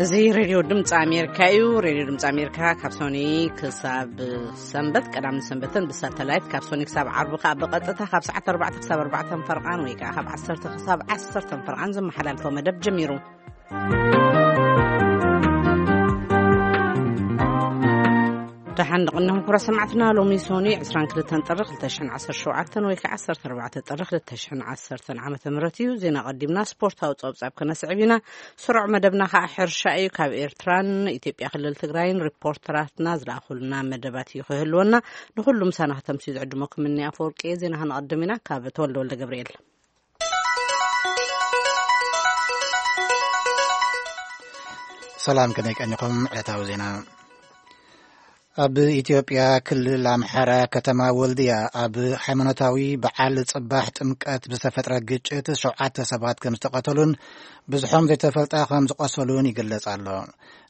እዚ ሬድዮ ድምፂ ኣሜሪካ እዩ። ሬድዮ ድምፂ ኣሜሪካ ካብ ሶኒ ክሳብ ሰንበት፣ ቀዳምን ሰንበትን ብሳተላይት፣ ካብ ሶኒ ክሳብ ዓርቢ ከዓ ብቐጥታ ካብ ሰዓት ኣርባዕተ ክሳብ ኣርባዕተን ፈርቓን ወይ ከዓ ካብ ዓሰርተ ክሳብ ዓሰርተን ፈርቓን ዝመሓላልፎ መደብ ጀሚሩ። ደሓን ንቕንኹም ክቡራት ሰማዕትና፣ ሎሚ ሶኒ ዕስራን ክልተን ጥሪ ክልተ ሽሕን ዓሰርተ ሸውዓተን ወይ ከዓ ዓሰርተ ኣርባዕተ ጥሪ ክልተ ሽሕን ዓሰርተን ዓመተ ምህረት እዩ። ዜና ቀዲምና ስፖርታዊ ጸብጻብ ከነስዕብ ኢና። ስሩዕ መደብና ከዓ ሕርሻ እዩ። ካብ ኤርትራን ኢትዮጵያ ክልል ትግራይን ሪፖርተራትና ዝለኣኹልና መደባት እዩ ክህልወና። ንኹሉ ምሳና ከተምስዩ ዝዕድመኩም እኒ ኣፈወርቂ እየ። ዜና ከነቐድም ኢና ካብ ተወልደ ወልደ ገብርኤል። ሰላም፣ ከመይ ቀኒኹም? ዕለታዊ ዜና። ኣብ ኢትዮጵያ ክልል ኣምሓራ ከተማ ወልድያ ኣብ ሃይማኖታዊ በዓል ጽባሕ ጥምቀት ብዝተፈጥረ ግጭት ሸውዓተ ሰባት ከም ዝተቐተሉን ብዙሖም ዘይተፈልጠ ከም ዝቆሰሉን ይግለጽ ኣሎ።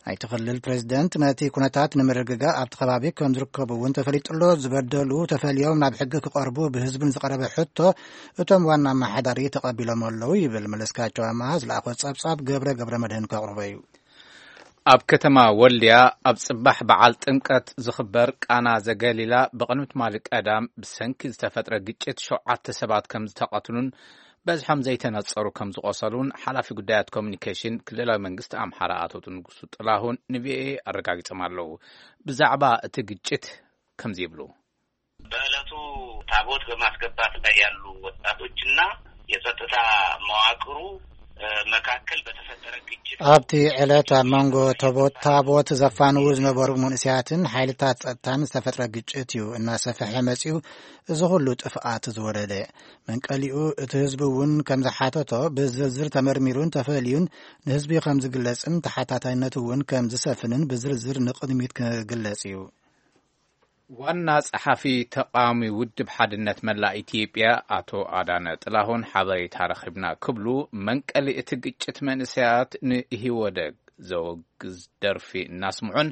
ናይቲ ክልል ፕሬዝደንት ነቲ ኩነታት ንምርግጋእ ኣብቲ ከባቢ ከም ዝርከቡ እውን ተፈሊጡ ኣሎ። ዝበደሉ ተፈልዮም ናብ ሕጊ ክቐርቡ ብህዝቢ ንዝቐረበ ሕቶ እቶም ዋና ኣመሓዳሪ ተቐቢሎም ኣለዉ ይብል። መለስካቸው ኣማሃ ዝለኣኾ ጸብጻብ ገብረ ገብረ መድህን ከቕርቦ እዩ። ኣብ ከተማ ወልድያ ኣብ ጽባሕ በዓል ጥምቀት ዝኽበር ቃና ዘገሊላ ብቕድሚ ትማሊ ቀዳም ብሰንኪ ዝተፈጥረ ግጭት ሸውዓተ ሰባት ከም ዝተቐትሉን በዝሖም ዘይተነጸሩ ከም ዝቖሰሉን ሓላፊ ጉዳያት ኮሚኒኬሽን ክልላዊ መንግስቲ ኣምሓራ ኣቶ ንጉሱ ጥላሁን ንቪኦኤ ኣረጋጊጾም ኣለዉ። ብዛዕባ እቲ ግጭት ከምዚ ይብሉ። በዕለቱ ታቦት በማስገባት ላይ ያሉ ወጣቶችና የጸጥታ መዋቅሩ መካከል በተፈጠረ ግጭት ኣብቲ ዕለት ኣብ መንጎ ታቦት ዘፋንዉ ዝነበሩ መንእሰያትን ሓይልታት ጸጥታን ዝተፈጥረ ግጭት እዩ እናሰፈሐ መጺኡ። እዚ ኩሉ ጥፍኣት ዝወረደ መንቀሊኡ እቲ ህዝቢ እውን ከም ዝሓተቶ ብዝርዝር ተመርሚሩን ተፈልዩን ንህዝቢ ከም ዝግለጽን ተሓታታይነት እውን ከም ዝሰፍንን ብዝርዝር ንቕድሚት ክግለጽ እዩ። ዋና ጸሓፊ ተቃዋሚ ውድብ ሓድነት መላእ ኢትዮጵያ ኣቶ ኣዳነ ጥላሁን ሓበሬታ ረኺብና ክብሉ መንቀሊ እቲ ግጭት መንእሰያት ንኢህወደግ ዘወግዝ ደርፊ እናስምዑን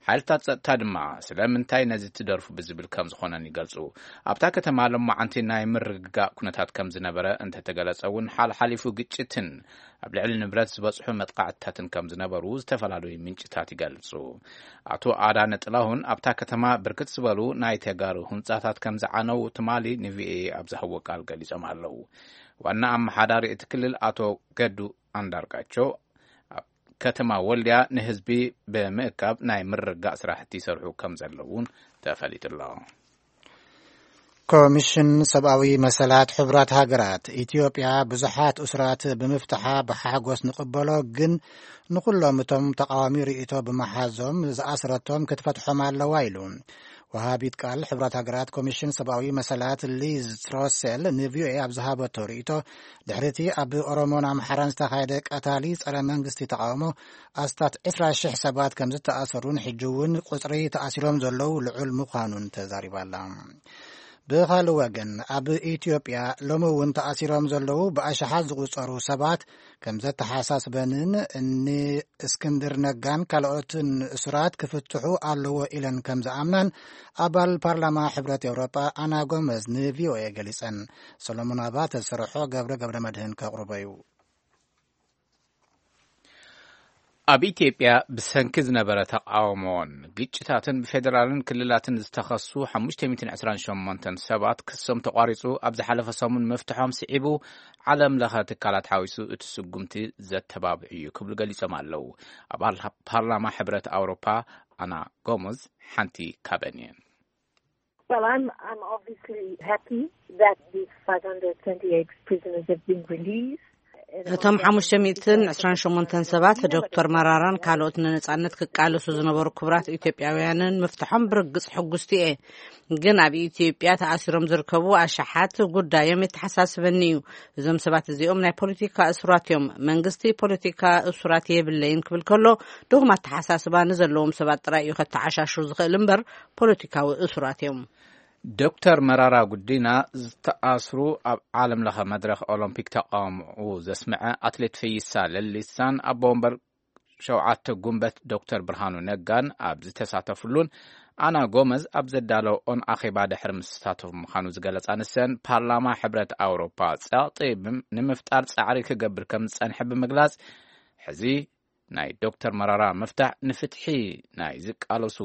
ሓይልታት ጸጥታ ድማ ስለምንታይ ነዚ ትደርፉ ብዝብል ከም ዝኾነን ይገልጹ። ኣብታ ከተማ ሎማዓንቲ ናይ ምርግጋእ ኩነታት ከም ዝነበረ እንተተገለጸ እውን ሓልሓሊፉ ግጭትን ኣብ ልዕሊ ንብረት ዝበጽሑ መጥቃዕትታትን ከም ዝነበሩ ዝተፈላለዩ ምንጭታት ይገልጹ። ኣቶ ኣዳነ ጥላሁን ኣብታ ከተማ ብርክት ዝበሉ ናይ ተጋሩ ህንጻታት ከም ዝዓነው ትማሊ ንቪኦኤ ኣብ ዝሃብዎ ቃል ገሊጾም ኣለዉ። ዋና ኣመሓዳሪ እቲ ክልል ኣቶ ገዱ ኣንዳርጋቸው ኣብ ከተማ ወልድያ ንህዝቢ ብምእካብ ናይ ምርግጋእ ስራሕቲ ይሰርሑ ከም ዘለውን ተፈሊጡ ኣሎ። ኮሚሽን ሰብኣዊ መሰላት ሕቡራት ሃገራት፣ ኢትዮጵያ ብዙሓት እሱራት ብምፍትሓ ብሓጎስ ንቕበሎ፣ ግን ንኹሎም እቶም ተቓዋሚ ርእይቶ ብምሓዞም ዝኣስረቶም ክትፈትሖም ኣለዋ ኢሉ። ወሃቢት ቃል ሕቡራት ሃገራት ኮሚሽን ሰብኣዊ መሰላት ሊዝ ትሮሴል ንቪኦኤ ኣብ ዝሃበቶ ርእይቶ፣ ድሕሪቲ ኣብ ኦሮሞን ኣምሓራን ዝተኻየደ ቀታሊ ጸረ መንግስቲ ተቓውሞ ኣስታት ዕስራ ሽሕ ሰባት ከም ዝተኣሰሩን ሕጂ እውን ቁጽሪ ተኣሲሮም ዘለዉ ልዑል ምዃኑን ተዛሪባ ኣላ። ብኻልእ ወገን ኣብ ኢትዮጵያ ሎሚ እውን ተኣሲሮም ዘለዉ ብኣሽሓት ዝቑጸሩ ሰባት ከም ዘተሓሳስበንን ንእስክንድር ነጋን ካልኦትን እሱራት ክፍትሑ ኣለዎ ኢለን ከም ዝኣምናን ኣባል ፓርላማ ሕብረት ኤውሮጳ ኣና ጎመዝ ንቪኦኤ ገሊጸን። ሰሎሞን ኣባተ ዝሰርሖ ገብረ ገብረ መድህን ከቕርቦ እዩ። ኣብ ኢትዮጵያ ብሰንኪ ዝነበረ ተቃውሞን ግጭታትን ብፌደራልን ክልላትን ዝተኸሱ ሓሙሽተ ሚእትን ዕስራን ሸሞንተን ሰባት ክሶም ተቋሪጹ ኣብ ዝሓለፈ ሰሙን ምፍትሖም ስዒቡ ዓለም ለኸ ትካላት ሓዊሱ እቲ ስጉምቲ ዘተባብዕ እዩ ክብሉ ገሊጾም ኣለዉ። ኣባል ፓርላማ ሕብረት ኣውሮፓ ኣና ጎመዝ ሓንቲ ካብአን እየን። Well, I'm, I'm obviously happy that these five hundred twenty-eight prisoners have been released. እቶም ሓሙሽተ ሚእትን ዕስራን ሸሞንተን ሰባት ዶክተር መራራን ካልኦት ንነጻነት ክቃለሱ ዝነበሩ ክቡራት ኢትዮጵያውያንን ምፍትሖም ብርግጽ ሕጉስቲ እየ። ግን ኣብ ኢትዮጵያ ተኣሲሮም ዝርከቡ ኣሽሓት ጉዳዮም የተሓሳስበኒ እዩ። እዞም ሰባት እዚኦም ናይ ፖለቲካ እሱራት እዮም። መንግስቲ ፖለቲካ እሱራት የብለይን ክብል ከሎ ድኹም ኣተሓሳስባ ንዘለዎም ሰባት ጥራይ እዩ ከተዓሻሹ ዝኽእል እምበር ፖለቲካዊ እሱራት እዮም። ዶክተር መራራ ጉዲና ዝተኣስሩ ኣብ ዓለም ለኸ መድረኽ ኦሎምፒክ ተቃውሞኡ ዘስምዐ ኣትሌት ፈይሳ ለሊሳን ኣቦ ወንበር ሸውዓተ ጉንበት ዶክተር ብርሃኑ ነጋን ኣብ ዝተሳተፍሉን ኣና ጎመዝ ኣብ ዘዳለኦን ኣኼባ ድሕሪ ምስታተፍ ምዃኑ ዝገለጻ ንሰን ፓርላማ ሕብረት ኣውሮፓ ጸቕጢ ብምፍጣር ጻዕሪ ክገብር ከም ዝጸንሐ ብምግላጽ ሕዚ ናይ ዶክተር መራራ ምፍታሕ ንፍትሒ ናይ ዝቃለሱ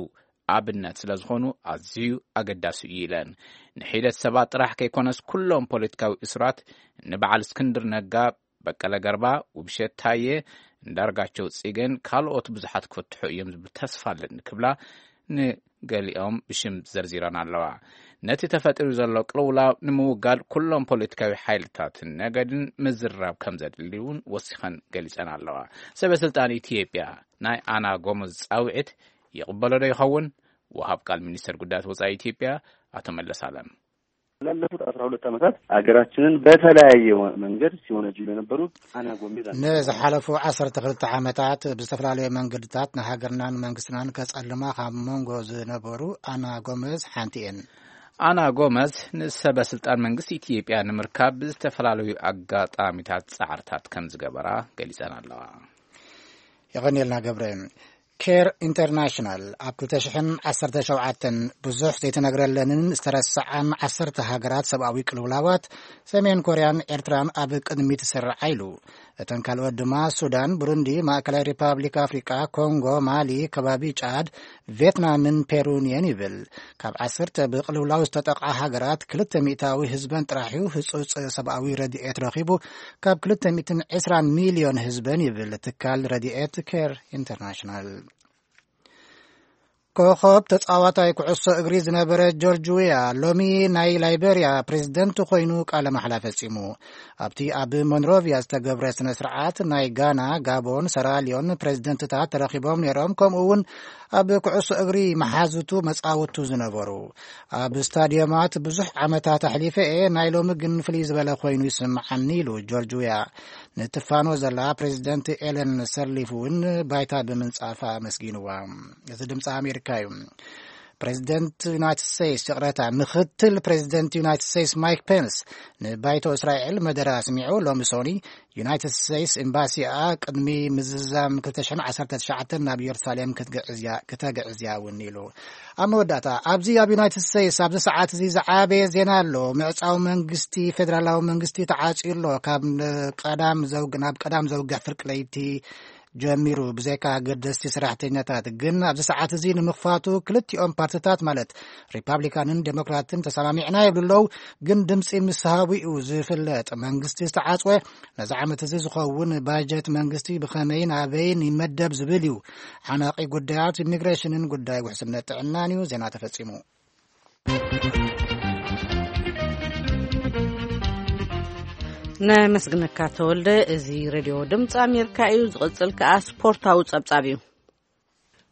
ኣብነት ስለ ዝኾኑ ኣዝዩ ኣገዳሲ እዩ ኢለን። ንሒደት ሰባት ጥራሕ ከይኮነስ ኩሎም ፖለቲካዊ እሱራት ንበዓል እስክንድር ነጋ፣ በቀለ ገርባ፣ ውብሸት ታየ፣ እንዳርጋቸው ጽጌን ካልኦት ብዙሓት ክፍትሑ እዮም ዝብል ተስፋ ኣለኒ ክብላ ንገሊኦም ብሽም ዘርዚረን ኣለዋ። ነቲ ተፈጢሩ ዘሎ ቅልውላው ንምውጋድ ኩሎም ፖለቲካዊ ሓይልታትን ነገድን ምዝርራብ ከም ዘድሊ እውን ወሲኸን ገሊጸን ኣለዋ። ሰበ ስልጣን ኢትዮጵያ ናይ ኣና ጎመዝ ጻውዒት ይቕበሎ ዶ ይኸውን? ወሃብ ቃል ሚኒስተር ጉዳያት ወጻኢ ኢትዮጵያ ኣቶ መለስ ኣለም። ላለፉት አስራ ሁለት ዓመታት ሀገራችንን በተለያየ መንገድ ሲወነጅሉ የነበሩት አና ጎሜዝ አንዱ ናቸው። ንዝሓለፉ ዓሰርተ ክልተ ዓመታት ብዝተፈላለዩ መንገድታት ንሃገርናን መንግስትናን ከጸልማ ካብ መንጎ ዝነበሩ ኣና ጎመዝ ሓንቲ እየን። ኣና ጎመዝ ንሰበ ስልጣን መንግስቲ ኢትዮጵያ ንምርካብ ብዝተፈላለዩ ኣጋጣሚታት ጻዕርታት ከም ዝገበራ ገሊጸን ኣለዋ። የቐንየልና ገብረ። ኬር ኢንተርናሽናል ኣብ ክልተ ሽሕን ዓሰርተ ሸውዓተን ብዙሕ ዘይተነግረለንን ዝተረስዓን ዓሰርተ ሃገራት ሰብኣዊ ቅልውላዋት ሰሜን ኮርያን ኤርትራን ኣብ ቅድሚት ዝስርዓ ኢሉ። እተን ካልኦት ድማ ሱዳን፣ ብሩንዲ፣ ማእከላይ ሪፓብሊክ ኣፍሪቃ፣ ኮንጎ፣ ማሊ፣ ከባቢ ጫድ፣ ቬትናምን ፔሩን እየን ይብል። ካብ ዓሰርተ ብቅልውላው ዝተጠቕዓ ሃገራት ክልተ ሚእታዊ ህዝበን ጥራሕ እዩ ህጹጽ ሰብኣዊ ረድኤት ረኺቡ፣ ካብ ክልተ ሚእትን ዕስራን ሚልዮን ህዝበን ይብል ትካል ረድኤት ኬር ኢንተርናሽናል። ኮኸብ ተጻዋታይ ኩዕሶ እግሪ ዝነበረ ጆርጅ ዊያ ሎሚ ናይ ላይቤርያ ፕሬዝደንት ኮይኑ ቃለ ማሕላ ፈጺሙ። ኣብቲ ኣብ ሞንሮቪያ ዝተገብረ ስነ ስርዓት ናይ ጋና፣ ጋቦን፣ ሰራሊዮን ፕሬዝደንትታት ተረኺቦም ነይሮም። ከምኡ እውን ኣብ ኩዕሶ እግሪ መሓዙቱ መጻውቱ ዝነበሩ ኣብ ስታዲየማት ብዙሕ ዓመታት ኣሕሊፈ እየ፣ ናይ ሎሚ ግን ፍልይ ዝበለ ኮይኑ ይስምዓኒ ኢሉ ጆርጅ ዊያ። ንትፋኖ ዘላ ፕሬዝደንት ኤለን ሰርሊፍ እውን ባይታ ብምንጻፋ ኣመስጊንዋ። እዚ ድምፂ ኣሜሪካ እዩ። ፕሬዝደንት ዩናይትድ ስቴትስ፣ ይቕረታ፣ ምክትል ፕሬዝደንት ዩናይትድ ስቴትስ ማይክ ፔንስ ንባይቶ እስራኤል መደረ ኣስሚዑ። ሎሚ ሶኒ ዩናይትድ ስቴትስ ኤምባሲኣ ቅድሚ ምዝዛም ክልተ ሽሕን ዓሰርተ ትሽዓተን ናብ ኢየሩሳሌም ክትግዕዝ እያ፣ ክተግዕዝ እያ እውን ኢሉ። ኣብ መወዳእታ፣ ኣብዚ ኣብ ዩናይትድ ስቴትስ ኣብዚ ሰዓት እዚ ዝዓበየ ዜና ኣሎ። ምዕጻው መንግስቲ፣ ፌደራላዊ መንግስቲ ተዓጽዩ ኣሎ። ካብ ቀዳም ዘውግ-፣ ናብ ቀዳም ዘውግሕ ፍርቂ ለይቲ ጀሚሩ ብዘይካ ኣገደስቲ ሰራሕተኛታት። ግን ኣብዚ ሰዓት እዚ ንምኽፋቱ ክልቲኦም ፓርትታት ማለት ሪፓብሊካንን ዴሞክራትን ተሰማሚዕና ይብሉ ኣለዉ። ግን ድምፂ ምስ ሃቡ እዩ ዝፍለጥ። መንግስቲ ዝተዓፅወ ነዚ ዓመት እዚ ዝኸውን ባጀት መንግስቲ ብኸመይን ኣበይን ይመደብ ዝብል እዩ። ዓናቒ ጉዳያት ኢሚግሬሽንን ጉዳይ ውሕስነት ጥዕናን እዩ። ዜና ተፈጺሙ። ነመስግነካ ተወልደ። እዚ ሬድዮ ድምፂ ኣሜሪካ እዩ። ዝቕጽል ከኣ ስፖርታዊ ጸብጻብ እዩ።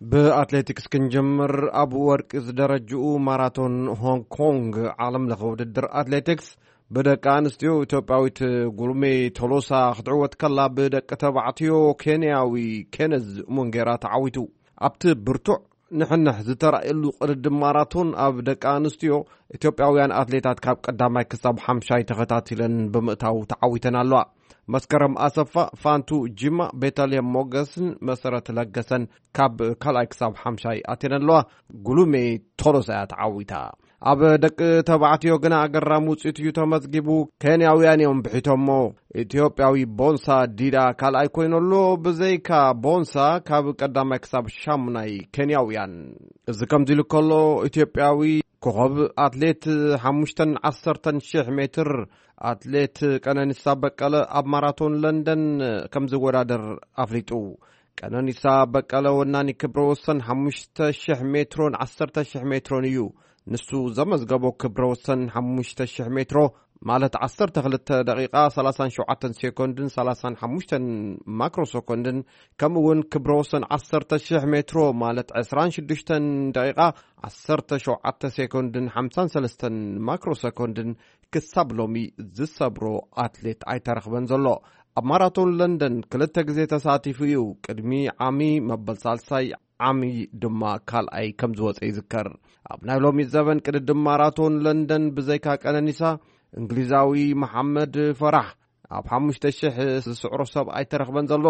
ብኣትሌቲክስ ክንጀምር፣ ኣብ ወርቂ ዝደረጅኡ ማራቶን ሆንግ ኮንግ ዓለም ለኸ ውድድር ኣትሌቲክስ ብደቂ ኣንስትዮ ኢትዮጵያዊት ጉልሜ ቶሎሳ ክትዕወት ከላ፣ ብደቂ ተባዕትዮ ኬንያዊ ኬነዝ ሙንጌራ ተዓዊቱ። ኣብቲ ብርቱዕ ንሕንሕ ዝተራእየሉ ቅድድም ማራቶን፣ ኣብ ደቂ ኣንስትዮ ኢትዮጵያውያን ኣትሌታት ካብ ቀዳማይ ክሳብ ሓምሻይ ተኸታቲለን ብምእታው ተዓዊተን ኣለዋ። መስከረም ኣሰፋ፣ ፋንቱ ጂማ፣ ቤተልሔም ሞገስን መሰረት ለገሰን ካብ ካልኣይ ክሳብ ሓምሻይ ኣትየን ኣለዋ። ጉሉሜ ቶሎሳ እያ ተዓዊታ። ኣብ ደቂ ተባዕትዮ ግና ኣገራሚ ውፅኢት እዩ ተመዝጊቡ። ኬንያውያን እዮም ብሒቶሞ። ኢትዮጵያዊ ቦንሳ ዲዳ ካልኣይ ኮይኑ ኣሎ። ብዘይካ ቦንሳ፣ ካብ ቀዳማይ ክሳብ ሻሙናይ ኬንያውያን። እዚ ከምዚ ኢሉ ከሎ፣ ኢትዮጵያዊ ኮኸብ ኣትሌት ሓሙሽተን ዓሰርተን ሽሕ ሜትር ኣትሌት ቀነኒሳ በቀለ ኣብ ማራቶን ለንደን ከም ዝወዳደር ኣፍሊጡ። ቀነኒሳ በቀለ ወናኒ ክብረ ወሰን ሓሙሽተ ሽሕ ሜትሮን ዓሰርተ ሽሕ ሜትሮን እዩ። ንሱ ዘመዝገቦ ክብረ ወሰን ሓሙሽተ ሽሕ ሜትሮ፣ ማለት ዓሰርተ ክልተ ደቂቓ ሰላሳን ሸውዓተን ሴኮንድን ሰላሳን ሓሙሽተን ማክሮ ሰኮንድን፣ ከምኡ እውን ክብረ ወሰን ዓሰርተ ሽሕ ሜትሮ፣ ማለት ዕስራን ሽዱሽተን ደቂቓ ዓሰርተ ሸውዓተ ሴኮንድን ሓምሳን ሰለስተን ማክሮ ሰኮንድን ክሳብ ሎሚ ዝሰብሮ ኣትሌት ኣይተረኽበን ዘሎ። ኣብ ማራቶን ለንደን ክልተ ግዜ ተሳቲፉ እዩ። ቅድሚ ዓሚ መበል ሳልሳይ፣ ዓሚ ድማ ካልኣይ ከም ዝወፀ ይዝከር። ኣብ ናይ ሎሚ ዘበን ቅድድም ማራቶን ለንደን ብዘይካ ቀነኒሳ፣ እንግሊዛዊ መሓመድ ፈራሕ ኣብ ሓሙሽተ ሽሕ ዝስዕሮ ሰብ ኣይተረኽበን ዘሎ።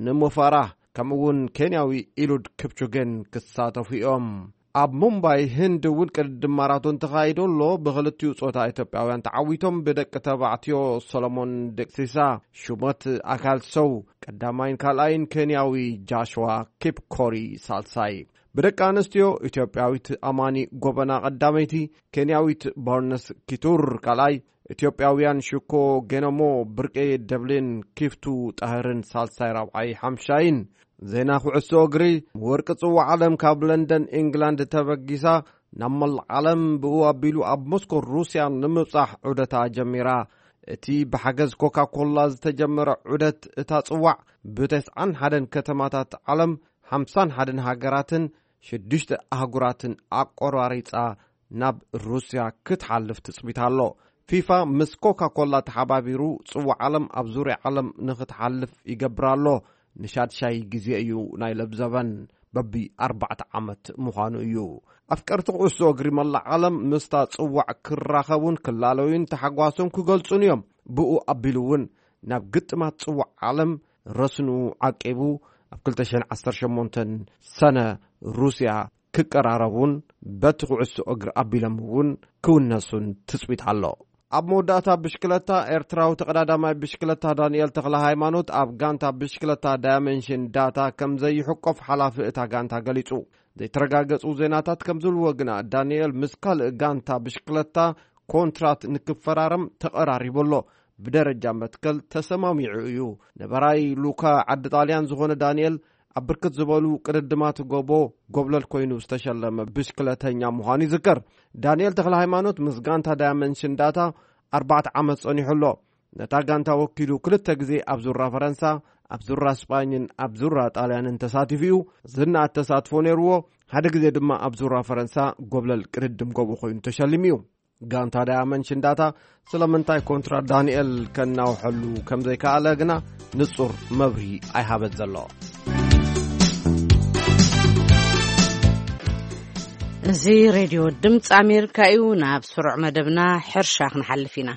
ንሞ ፈራሕ ከምኡ እውን ኬንያዊ ኢሉድ ክፕቹጌን ክሳተፉ እዮም። ኣብ ሙምባይ ህንድ እውን ቅድድም ማራቶን ተኻይዶ ኣሎ። ብኽልቲኡ ጾታ ኢትዮጵያውያን ተዓዊቶም ብደቂ ተባዕትዮ ሰሎሞን ደቅሲሳ ሹመት ኣካል ሰው ቀዳማይን ካልኣይን፣ ኬንያዊ ጃሽዋ ኪፕኮሪ ሳልሳይ። ብደቂ ኣንስትዮ ኢትዮጵያዊት ኣማኒ ጎበና ቀዳመይቲ፣ ኬንያዊት ቦርነስ ኪቱር ካልኣይ፣ ኢትዮጵያውያን ሽኮ ጌነሞ ብርቄ ደብሌን ኪፍቱ ጣህርን ሳልሳይ ራብዓይ ሓምሻይን። ዜና ኩዕሶ እግሪ። ወርቂ ጽዋዕ ዓለም ካብ ለንደን ኢንግላንድ ተበጊሳ ናብ መላእ ዓለም ብኡ ኣቢሉ ኣብ ሞስኮ ሩስያ ንምብጻሕ ዑደታ ጀሚራ። እቲ ብሓገዝ ኮካ ኮላ ዝተጀመረ ዑደት እታ ጽዋዕ ብተስዓን ሓደን ከተማታት ዓለም ሓምሳን ሓደን ሃገራትን ሽዱሽተ ኣህጉራትን ኣቆራሪጻ ናብ ሩስያ ክትሓልፍ ትጽቢት ኣሎ። ፊፋ ምስ ኮካ ኮላ ተሓባቢሩ ጽዋዕ ዓለም ኣብ ዙርያ ዓለም ንኽትሓልፍ ይገብር ኣሎ። ንሻድሻይ ግዜ እዩ ናይ ለብዘበን፣ በቢ ኣርባዕተ ዓመት ምዃኑ እዩ። ኣፍቀርቲ ኩዕሶ እግሪ መላእ ዓለም ምስታ ጽዋዕ ክራኸቡን ክላለዩን ተሓጓሶም ክገልጹን እዮም። ብኡ ኣቢሉ እውን ናብ ግጥማት ጽዋዕ ዓለም ረስኑ ዓቂቡ ኣብ ክልተ ሽሕን ዓሰርተ ሸሞንተን ሰነ ሩስያ ክቀራረቡን በቲ ኩዕሶ እግሪ ኣቢሎም እውን ክውነሱን ትጽቢት ኣሎ። ኣብ መወዳእታ ብሽክለታ፣ ኤርትራዊ ተቐዳዳማይ ብሽክለታ ዳንኤል ተኽለ ሃይማኖት ኣብ ጋንታ ብሽክለታ ዳያመንሽን ዳታ ከም ዘይሕቆፍ ሓላፊ እታ ጋንታ ገሊጹ። ዘይተረጋገጹ ዜናታት ከም ዝብልዎ ግና፣ ዳንኤል ምስ ካልእ ጋንታ ብሽክለታ ኮንትራት ንክፈራረም ተቐራሪቡ ኣሎ። ብደረጃ መትከል ተሰማሚዑ እዩ። ነበራይ ሉካ ዓዲ ጣልያን ዝኾነ ዳንኤል፣ ኣብ ብርክት ዝበሉ ቅድድማት ጎቦ ጎብለል ኮይኑ ዝተሸለመ ብሽክለተኛ ምዃኑ ይዝከር። ዳንኤል ተኽለ ሃይማኖት ምስ ጋንታ ዳያመንድ ሽንዳታ ኣርባዕተ ዓመት ጸኒሑ ኣሎ። ነታ ጋንታ ወኪሉ ክልተ ግዜ ኣብ ዙራ ፈረንሳ፣ ኣብ ዙራ ስጳኝን ኣብ ዙራ ጣልያንን ተሳቲፉ እዩ። ዝነኣድ ተሳትፎ ነይርዎ። ሓደ ግዜ ድማ ኣብ ዙራ ፈረንሳ ጎብለል ቅድድም ጎቦ ኮይኑ ተሸሊሙ እዩ። ጋንታ ዳያመንድ ሽንዳታ ስለምንታይ ኮንትራት ዳንኤል ከናውሐሉ ከም ዘይከኣለ ግና ንጹር መብርሂ ኣይሃበን ዘሎ። እዚ ሬድዮ ድምፂ ኣሜሪካ እዩ። ናብ ስሩዕ መደብና ሕርሻ ክንሓልፍ ኢና።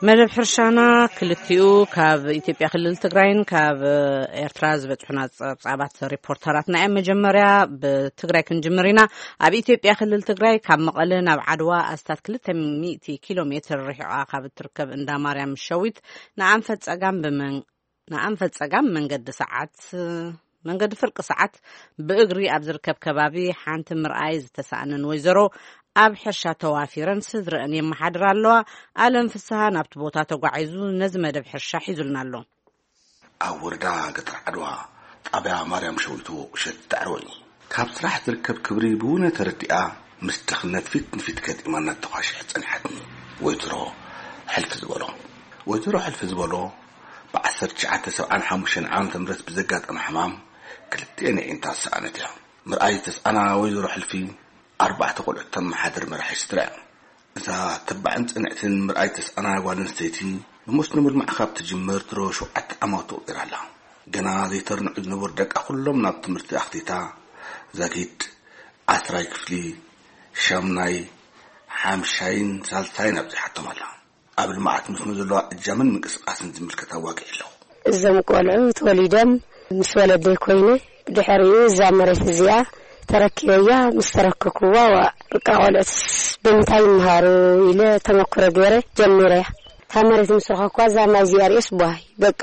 መደብ ሕርሻና ክልቲኡ ካብ ኢትዮጵያ ክልል ትግራይን ካብ ኤርትራ ዝበጽሑና ጸብጻባት ሪፖርተራትና እዮም። መጀመርያ ብትግራይ ክንጅምር ኢና። ኣብ ኢትዮጵያ ክልል ትግራይ ካብ መቐለ ናብ ዓድዋ ኣስታት ክልተ ሚእቲ ኪሎ ሜትር ርሒቓ ካብ እትርከብ እንዳ ማርያም ሸዊት ንኣንፈት ጸጋም ብመን-፣ ንኣንፈት ጸጋም መንገዲ ሰዓት፣ መንገዲ ፍርቂ ሰዓት ብእግሪ ኣብ ዝርከብ ከባቢ ሓንቲ ምርኣይ ዝተሳእነን ወይዘሮ ኣብ ሕርሻ ተዋፊረን ስድረአን የመሓድራ ኣለዋ። ኣለም ፍስሃ ናብቲ ቦታ ተጓዒዙ ነዚ መደብ ሕርሻ ሒዙልና ኣሎ። ኣብ ወረዳ ገጠር ዓድዋ ጣብያ ማርያም ሸዊቶ እሸት ዳዕሮ እዩ። ካብ ስራሕ ዝርከብ ክብሪ ብውነ ተረዲኣ ምስ ድኽነት ፊት ንፊት ገጢማ እናተኳሸሐ ጸኒሓትኒ። ወይዘሮ ሕልፊ ዝበሎ፣ ወይዘሮ ሕልፊ ዝበሎ ብዓሰርተ ትሽዓተ ሰብዓን ሓሙሽተን ዓመተ ምህረት ብዘጋጠመ ሕማም ክልቲኤን ኣዒንታ ዝሰኣነት እያ። ምርኣይ ዝተስኣና ወይዘሮ ሕልፊ ኣርባዕተ ቆልዑት ተመሓድር መራሒ ስድራ እያ። እዛ ተባዕን ጽንዕትን ምርኣይ ተስኣና ጓል ኣንስተይቲ ብመስኖ ምልማዕ ካብ ትጅምር ድሮ ሸውዓተ ዓመቱ ገይራ ኣላ። ገና ዘይተርንዑ ዝነበሩ ደቃ ኩሎም ናብ ትምህርቲ ኣኽቲታ ዛጊድ ዓስራይ ክፍሊ፣ ሻምናይ፣ ሓምሻይን ሳልሳይን ኣብዚሓቶም ኣላ። ኣብ ልምዓት መስኖ ዘለዋ እጃምን ምንቅስቃስን ዝምልከት ኣዋጊዕ ኣለኹ። እዞም ቆልዑ ተወሊዶም ምስ ወለደይ ኮይነ፣ ብድሕሪኡ እዛ መሬት እዚኣ ተረኪበያ። ምስ ተረከብኩዋ፣ ዋ፣ በቃ ቆልዑትስ ብምንታይ ይምሃሩ ኢለ ተመክሮ ገይረ ጀሚረያ። እታ መሬት ምስ ረኸብኩዋ፣ እዛ ማይ እዚኣ ርእየስ ቧይ፣ በቃ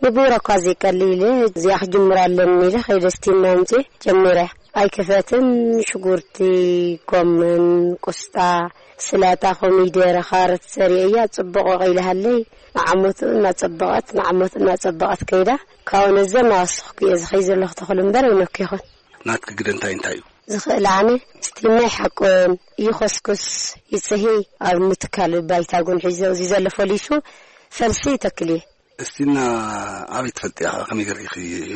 ንብውረ እኳ ዘይቀሊ ኢለ እዚኣ ክጅምር ኣለኒ ኢለ ከይደ ስቲና ኣምፅኤ ጀሚረያ። ኣይክፈትን፣ ሽጉርቲ፣ ጎመን፣ ቁስጣ፣ ስላጣ፣ ኮሚደረ፣ ካሮት ዘሪአያ ጽቡቕ ወቒልሃለይ። ንዓመቱ እናጸበቐት፣ ንዓመቱ እናጸበቐት ከይዳ፣ ካብኡ ነዘ እናወሰኽኩ እየ ዝኸይ ዘለኹ ተኽሉ እምበር ኣይነኩ ይኹን። ናትኪ ግደ እንታይ እንታይ እዩ? ዝኽእል ኣነ ስቲና ይሓቁን፣ ይኸስኩስ፣ ይጽሂ፣ ኣብ ምትካል ባይታ ጉን ሒዘ፣ እዚ ዘሎ ፈሊሱ ፈልሲ ይተክል እየ። እስቲና ኣበይ ትፈልጥያ? ከመይ ገርኪ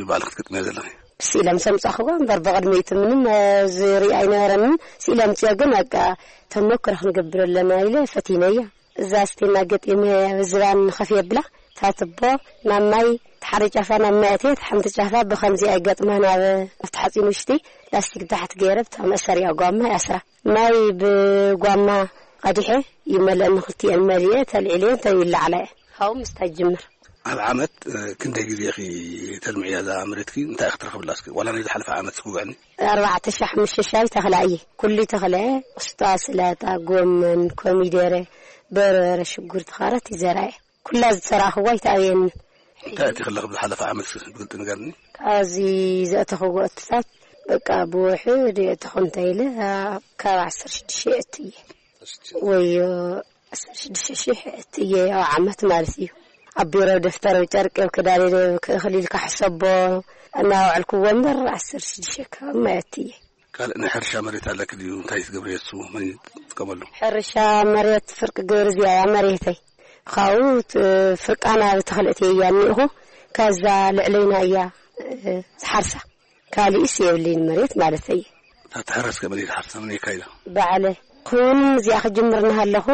ባዕልኺ ክትገጥምያ ዘለኺ? ስኢለ ምስ ኣምጻኹዋ እምበር ብቕድሚኡ ምንም፣ እ፣ ዝርኢ ኣይነበረንን። ስኢለ ኣምጽዮ ግን በቃ ተመክሮ ክንገብር ኣለና ኢለ ፈቲነያ። እዛ ስቲና ገጢመ ዝባን ንኸፍ የብላ፣ ታትቦ ናብ ማይ፣ ተሓደ ጫፋ ናብ ማይ ኣትየት፣ ሓንቲ ጫፋ ብኸምዚ ኣይገጥማ ናብ፣ ኣብቲ ሓጺን ውሽጢ ላስቲክ ታሕቲ ገይረ ብታ መእሰሪያ ጓማ ይኣስራ። ማይ ብጓማ ቀዲሐ ይመልአኒ፣ ክልቲኤን መሊኤ ተልዒለየን ተይለዓላ እየ። ካብኡ ምስታይ ጅምር። ኣብ ዓመት፣ እ፣ ክንደይ ግዜ ኢኺ ተልምዕያ እዛ መሬትኪ? እንታይ ኢኺ ትረኽብላ እስኪ? ዋላ ናይ ዝሓለፈ ዓመት እስኪ ውግዕኒ። ኣርባዕተ ሺሕ ሓሙሽተ ሺሕ ተኽላ እየ። ኩሉ ተኽለ፣ ቁስጣ፣ ስላጣ፣ ጎመን፣ ኮሚደረ፣ በርበረ፣ ሽጉርቲ፣ ካሮት ይዘራየ። ኩላ ዝተራኽቦ ኣይተኣብየኒ። እንታይ እቲ ከለኺ ብዝሓለፈ ዓመት ብግልፂ ንገርኒ። ካብዚ ዘእተኽዎ እትታት በቃ ብውሕድ የእተኹ እንተ ኢለ ካብ ዓሰርተ ሽዱሽተ እየ እትየ። ወዮ ዓሰርተ ሽዱሽተ ሺሕ እትየ ኣብ ዓመት ማለት እዩ። ኣብ ቢሮ ደፍተር፣ ኣብ ጨርቂ፣ ኣብ ክዳን ኢለ ክእኽል ኢልካ ሕሰቦ እናውዕልክዎ እምበር ዓሰርተ ሽዱሽተ ከባቢ ማይ እትየ። ካልእ ናይ ሕርሻ መሬት ኣለኪ ድዩ? እንታይ ትገብርዮ እሱ? መን ይጥቀመሉ? ሕርሻ መሬት ፍርቂ ግብሪ እዚኣ እያ መሬተይ። ካብኡ ት-፣ ፍርቃና ብተኽልእቲ እያ እኒእኹ። ከዛ ልዕለይና እያ፣ እ፣ ዝሓርሳ። ካሊእስ የብለይን መሬት ማለተይ። እታ ትሕረስ ከመይ ትሓርሳ? መን የካይዳ? ባዕለ። ኩን እዚኣ ክጅምር እናሃለኹ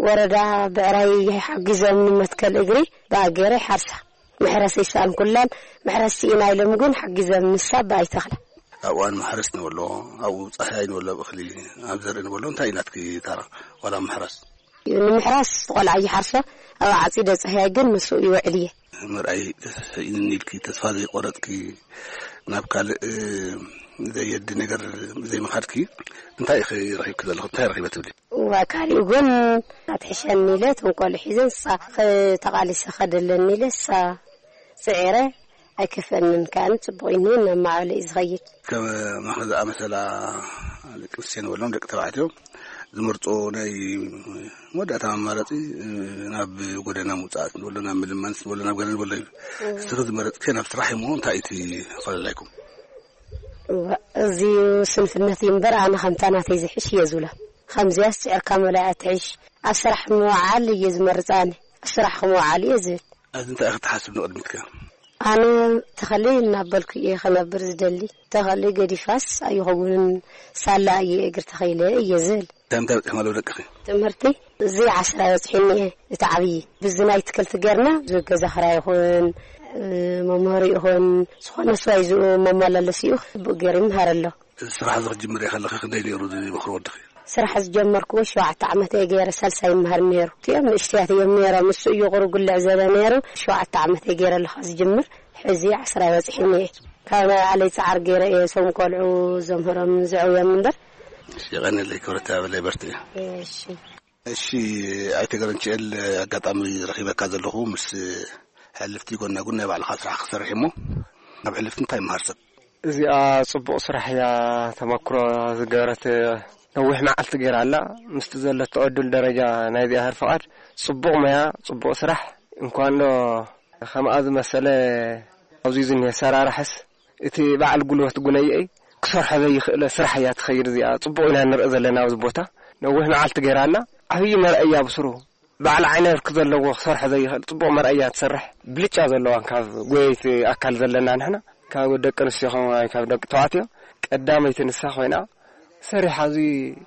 ወረዳ ብዕራይ ሓጊዞም ንመትከል እግሪ ብኣገረ ሓርሳ። መሕረስ ይሰኣን ኩላን መሕረስ ስኢና ኢሎም ግን ሓጊዘም ንሳ ብኣይ ተኽላ። ኣብ እዋን ማሕረስ ንበሎ፣ ኣብኡ ጻህያይ ንበሎ፣ ኣብ እኽሊ፣ ኣብ ዘርኢ ንበሎ፣ እንታይ እዩ ናትኪ ታራ? ዋላ ምሕራስ? ንምሕራስ ቆልዓ ይሓርሶ፣ ኣብ ዓጺደ ጻህያይ ግን ምስኡ ይውዕል እየ። ምርኣይ ተስፍሕኢኒ ኢልኪ ተስፋ ዘይቆረጥኪ፣ ናብ ካልእ፣ እ፣ ዘየዲ ነገር ዘይምኻድኪ፣ እንታይ ኢኺ ረኺብኪ ዘለኹ? እንታይ ረኺበ ትብሊ? እዋ፣ ካሊእ እውን ኣትሕሸኒ ኢለ፣ እቶም ቆልዑ ሒዘ፣ ንሳ ኸ-፣ ተቓሊሰ ኸደለኒ ኢለ፣ ንሳ ጽዒረ፣ ኣይከፈንን ከኣኒ፣ ጽቡቕ እዩ፣ እናማዕበለ እዩ ዝኸይድ። ከም ማኽዳ ዝኣመሰላ ደቂ ኣንስትዮ ንበሎም፣ ደቂ ተባዕትዮ ዝመርጾ ናይ መወዳእታ ኣማራጺ፣ ናብ ጎደና ምውጻእ ንበሎ፣ ናብ ምልማን ንበሎ፣ ናብ ገለ ንበሎ እዩ። እስኺ ዝመረጽክዮ ናብ ስራሕ እሞ እንታይ እቲ ፈላላይኩም? እዋ፣ እዚ ስንፍነት እዩ እምበር፣ ኣነ ከምታ ናተይ ዝሕሽ እየ ዝብሎ። ከምዚያስ ጽዕርካ መላእ ትሕሽ። ኣብ ስራሕ ምውዓል እየ ዝመርጽ ኣነ። ኣብ ስራሕ ክምውዓል እየ ዝብል። ኣብዚ እንታይ ኢኺ ትሓስብ ንቕድሚትከ? ኣነ ተኸሊ እናበልኩ እየ ክነብር ዝደሊ። ተኸሊ ገዲፋስ ኣይኸውንን፣ ሳላ እየ እግሪ ተኸይለ እየ ዝብል። እንታይ እንታይ በጺሕኩም ኣለዉ ደቅኺ? ትምህርቲ እዚ ዓስራ በጺሐኒ እየ፣ እቲ ዓብዪ። ብዚ ናይ ትክልቲ ጌርና፣ እዚ ገዛ ክራይ ይኹን፣ እ፣ መምህሪ ይኹን፣ ዝኾነ ስዋይ ዝኡ መመላለሲኡ ብኡ ገይሩ ይምሃር ኣሎ። እዚ ስራሕ እዚ ክትጅምርዮ ከለኺ ክንደይ ነይሩ ዝመኽሮ ወድኺ? ስራሕ ዝጀመርክዎ ሸውዓተ ዓመት እየ ገይረ፣ ሳልሳይ ይምሃር ነይሩ። እቲኦም ንእሽተያት እዮም ነይሮም፣ እሱ እዩ ቁሩብ ጉልዕ ዘለ ነይሩ። ሸውዓተ ዓመት እየ ገይረ ኣለኹ ዝጅምር፣ ሕዚ ዓስራ በጺሐኒ እየ። ካብ ናይ ባዕለይ ጻዕር ገይረ እየ እዞም ቆልዑ ዘምህሮም ዘዕውዮም እምበር። እሺ፣ የቐንየለይ ክብረት ያበለይ በርትዒ። እሺ። እሺ፣ ኣይተ ገረንችኤል፣ ኣጋጣሚ ረኺበካ ዘለኹ ምስ ሕልፍቲ ጎና ጎን ናይ ባዕልኻ ስራሕ ክሰርሕ እሞ፣ ካብ ሕልፍቲ እንታይ ይመሃር ሰብ? እዚኣ ጽቡቕ ስራሕ እያ፣ ተመክሮ ዝገበረት ነዊሕ መዓልቲ ገይራ ኣላ። ምስቲ ዘለቶ ዕዱል ደረጃ ናይዚኣ ህር ፍቓድ ጽቡቕ ሞያ፣ ጽቡቕ ስራሕ። እንኳን ዶ ከምኣ ዝመሰለ ኣብዚ ዝኒሀ ሰራርሕስ እቲ በዓል ጉልበት ጉነየይ ክሰርሖ ዘይኽእለ ስራሕ እያ ትኸይድ እዚኣ። ጽቡቕ ኢና ንርኢ ዘለና ኣብዚ ቦታ። ነዊሕ መዓልቲ ገይራ ኣላ። ዓብዪ መርኣያ ብስሩ በዓል ዓይነ ብርኪ ዘለዎ ክሰርሖ ዘይኽእል ጽቡቕ መርኣያ ትሰርሕ። ብልጫ ዘለዋ ካብ ጎየይቲ ኣካል ዘለና ንሕና፣ ካብ ደቂ ኣንስትዮ ኸም-፣ ካብ ደቂ ተባዕትዮ ቀዳመይቲ ንሳ ኮይና ሰሪሓ፣ እዚ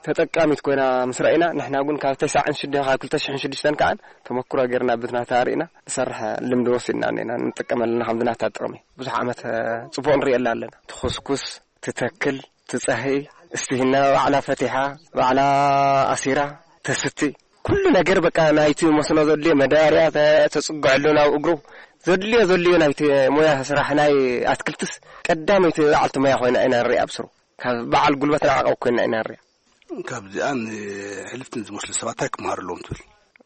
ተጠቃሚት ኮይና ምስ ረኣይና፣ ንሕና እውን ካብ ተስዓን ሽዱሽተን፣ ካብ ክልተ ሽሕን ሽዱሽተን ከዓን ተመክሮ ጌርና፣ ብትናታ ርኢና ንሰርሕ ልምዲ ወሲድና እኒና፣ ንጥቀመልና ከምዚ ናታ ጥቕሚ። ብዙሕ ዓመት፣ እ፣ ጽቡቕ ንሪኤላ ኣለና። ትኹስኩስ፣ ትተክል፣ ትጸህይ፣ እስቲሂና ባዕላ ፈቲሓ፣ ባዕላ ኣሲራ፣ ተስቲ። ኩሉ ነገር በቃ ናይቲ መስኖ ዘድልዮ መዳበርያ ተ-፣ ተጽግዐሉ ናብ እግሩ። ዘድልዮ፣ ዘድልዮ ናይቲ ሞያ ስራሕ ናይ ኣትክልትስ ቀዳመይቲ በዓልቲ ሞያ ኮይና ኢና ንሪኣ ብስሩ። ካብ በዓል ጉልበት ንዓቐብ ኮይና ኢና ንሪኣ። ካብዚኣ ንሕልፍትን ዝመስሉ ሰባት እንታይ ክመሃሩ ኣለዎም ትብል?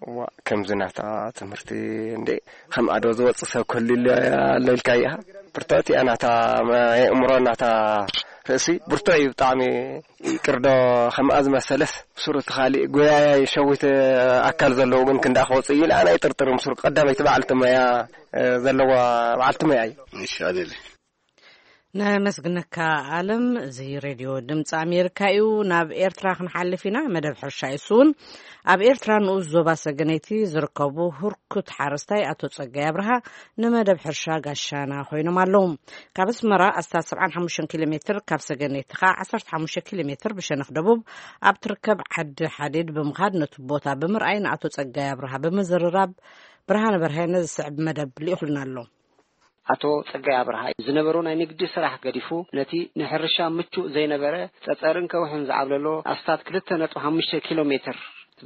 እዋ፣ ከምዚ ናታ ትምህርቲ እንዴ፣ ከምኣ ዶ ዝወጽእ ሰብ ክህሉ ኢለ ኣሎ ኢልካ ኢኻ? ብርትዕቲ እያ ናታ መ-፣ የእምሮ ናታ ርእሲ ብርቱዕ እዩ ብጣዕሚ። ይቅርዶ ከምኣ ዝመሰለስ ብስሩ እቲ ካሊእ ጎያያይ ሸዊት ኣካል ዘለዎ ግን ክንደኣ ክወጽእ እዩ ኢለ ኣነ ኣይጥርጥርን። ብስሩ ቀዳመይቲ በዓልቲ ሞያ፣ እ፣ ዘለዋ በዓልቲ ሞያ እዩ። እሺ፣ ኣነለ። ነመስግነካ ኣለም። እዚ ሬድዮ ድምፂ ኣሜሪካ እዩ። ናብ ኤርትራ ክንሓልፍ ኢና። መደብ ሕርሻ እዩ እሱ እውን። ኣብ ኤርትራ ንኡስ ዞባ ሰገነይቲ ዝርከቡ ህርኩት ሓረስታይ ኣቶ ጸጋይ ኣብርሃ ንመደብ ሕርሻ ጋሻና ኮይኖም ኣለዉ። ካብ ኣስመራ ኣስታት ሰብዓን ሓሙሽተን ኪሎ ሜትር፣ ካብ ሰገነይቲ ኸዓ ዓሰርተ ሓሙሽተ ኪሎ ሜትር ብሸነኽ ደቡብ ኣብ ትርከብ ዓዲ ሓዲድ ብምኻድ ነቲ ቦታ ብምርኣይ ንኣቶ ጸጋይ ኣብርሃ ብምዝርራብ ብርሃነ በርሀ ነዚ ዝስዕብ መደብ ልኢኹልና ኣሎ። ኣቶ ጸጋይ ኣብርሃ ዝነበሮ ናይ ንግዲ ስራሕ ገዲፉ ነቲ ንሕርሻ ምቹእ ዘይነበረ ጸጸርን ከውሕን ዝዓብለሎ ኣስታት ክልተ ነጥቢ ሓሙሽተ ኪሎ ሜትር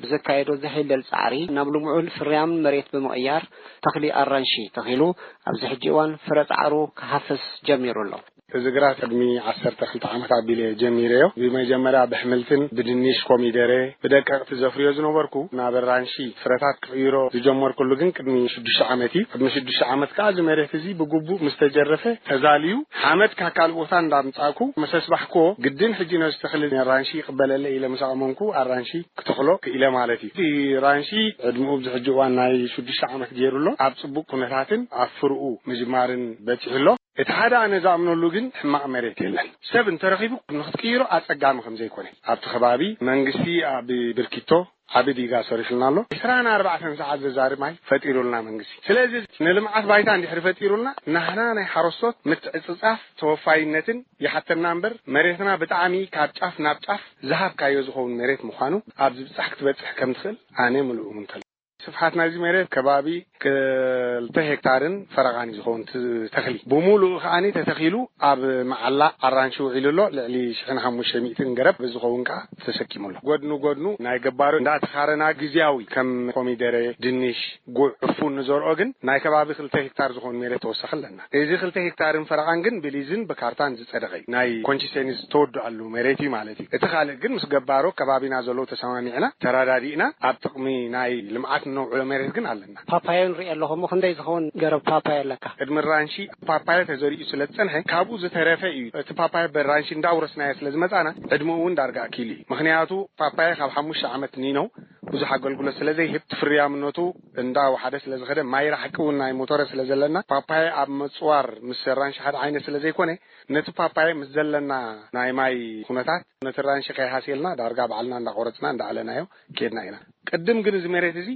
ብዘካየዶ ዘሕለል ጻዕሪ ናብ ልሙዕን ፍርያምን መሬት ብምቕያር ተኽሊ ኣራንሺ ተኺሉ ኣብዚ ሕጂ እዋን ፍረ ጻዕሩ ክሃፍስ ጀሚሩ ኣሎ። እዚ ግራት ቅድሚ ዓሰርተ ክልተ ዓመት ኣቢለ ጀሚረዮ። ብመጀመርያ ብሕምልትን ብድንሽ፣ ኮሚደረ፣ ብደቀቕቲ ዘፍርዮ ዝነበርኩ ናብ ኣራንሺ ፍረታት ክቕይሮ ዝጀመርኩሉ ግን ቅድሚ ሽዱሽተ ዓመት እዩ። ቅድሚ ሽዱሽተ ዓመት ከኣ እዚ መሬት እዚ ብግቡእ ምስ ተጀረፈ ተዛልዩ ሓመድ ካብ ካልእ ቦታ እንዳምጻእኩ ምስ ኣስባሕክዎ ግድን ሕጂ ነዚ ተኽሊ ኣራንሺ ይቕበለለ ኢለ ምስ ኣእመንኩ ኣራንሺ ክተኽሎ ክኢለ ማለት እዩ። እቲ ኣራንሺ ዕድመኡ ኣብዚ ሕጂ እዋን ናይ ሽዱሽተ ዓመት ገይሩ ኣሎ። ኣብ ጽቡቕ ኩነታትን ኣብ ፍርኡ ምጅማርን በጺሑ ኣሎ። እቲ ሓደ ኣነ ዝኣምነሉ ግን ሕማቕ መሬት የለን። ሰብ እንተረኺቡ ንክትቅይሮ ኣጸጋሚ ከም ዘይኮነ ኣብቲ ከባቢ መንግስቲ ኣብ ብርኪቶ ዓቢ ዲጋ ሰሪሑልና ኣሎ። ዕስራን ኣርባዕተን ሰዓት ዘዛርብ ማይ ፈጢሩልና መንግስቲ። ስለዚ ንልምዓት ባይታ እንድሕሪ ፈጢሩልና ናህና ናይ ሓረስቶት ምትዕጽጻፍ ተወፋይነትን ይሓተና እምበር መሬትና ብጣዕሚ ካብ ጫፍ ናብ ጫፍ ዝሃብካዮ ዝኸውን መሬት ምዃኑ ኣብ ዝብጻሕ ክትበጽሕ ከም ትኽእል ኣነ ምሉእ እሙን ከሎ። ስፍሓት ናይዚ መሬት ከባቢ ክልተ ሄክታርን ፈረቓን እዩ ዝኸውን እቲ ተኽሊ። ብምሉኡ ከኣኒ ተተኺሉ ኣብ መዓላ ኣራንሺ ውዒሉ ኣሎ። ልዕሊ ሽሕን ሓሙሽተ ሚእትን ገረብ ዝኸውን ከኣ ተሰኪሙ ኣሎ። ጎድኑ ጎድኑ ናይ ገባሩ እንዳተኻረና ግዝያዊ ከም ኮሚደረ፣ ድንሽ፣ ጉዕ፣ ዕፉን ንዘርኦ ግን ናይ ከባቢ ክልተ ሄክታር ዝኸውን መሬት ተወሳኺ ኣለና። እዚ ክልተ ሄክታርን ፈረቓን ግን ብሊዝን ብካርታን ዝጸደቐ እዩ። ናይ ኮንሲሰንስ ተወድኣሉ መሬት እዩ ማለት እዩ። እቲ ካልእ ግን ምስ ገባሮ ከባቢና ዘለዉ ተሰማሚዕና ተረዳዲእና ኣብ ጥቕሚ ናይ ልምዓት እነውዕሎ መሬት ግን ኣለና። ፓፓዮ ንርኢ ኣለኹ እሞ ክንደይ ዝኸውን ገረብ ፓፓዮ ኣለካ? ቅድሚ ራንሺ ፓፓዮ ተዘሪኡ ስለ ዝጸንሐ ካብኡ ዝተረፈ እዩ። እቲ ፓፓዮ በራንሺ እንዳውረስናዮ ስለ ዝመጻና ዕድመኡ እውን ዳርጋ ኣኪሉ እዩ። ምኽንያቱ ፓፓዮ ካብ ሓሙሽተ ዓመት ንይነው ብዙሕ ኣገልግሎት ስለ ዘይህብ እቲ ፍርያምነቱ እንዳወሓደ ስለ ዝኸደ ማይ ራሕቂ እውን ናይ ሞቶረ ስለ ዘለና ፓፓዮ ኣብ ምጽዋር ምስ ራንሺ ሓደ ዓይነት ስለ ዘይኮነ ነቲ ፓፓየ ምስ ዘለና ናይ ማይ ኩነታት ነቲ ራንሺ ከይሃስየልና ዳርጋ ባዕልና እንዳቆረጽና እንዳኣለናዮ ኬድና ኢና። ቅድም ግን እዚ መሬት እዚ